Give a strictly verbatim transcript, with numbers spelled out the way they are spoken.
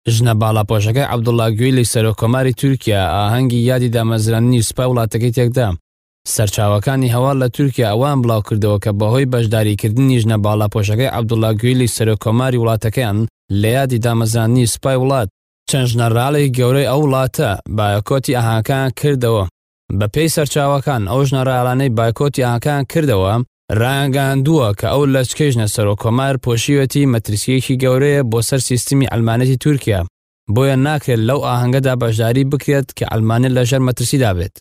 ژنە باڵاپۆشەکەی عەبدوڵڵا گویلی سەرۆککۆماری تورکیا ئاهەنگی یادی دامەزراندنی سوپای وڵاتەکەی تێکدا. سەرچاوەکانی هەواڵ لە تورکیا ئەوەیان بڵاوکردەوە کە بەهۆی بەشداریکردنی ژنە باڵاپۆشەکەی عەبدوڵڵا گویلی سەرۆککۆماری وڵاتەکەیان لە یادی دامەزراندنی سوپای وڵات، چەند ژنەراڵێکی گەورەی ئەو وڵاتە بایکۆتی ئاهەنگەکەیان کردەوە. بەپێی سەرچاوەکان ئەو ژنەراڵانەی بایکۆتی ئاهەنگەکەیان کردەوە ڕایانگەیاندووە کە ئەو لەچکەی ژنە سەرۆککۆمار پۆشیوێتی مەترسییەکی گەورەیە بۆ سەر سیستمی عەلمانیەتی تورکیا، بۆیە ناکرێت لەو ئاهەنگەدا بەشداری بکرێت کە عەلمانیەت لەژێر مەترسیدا بێت.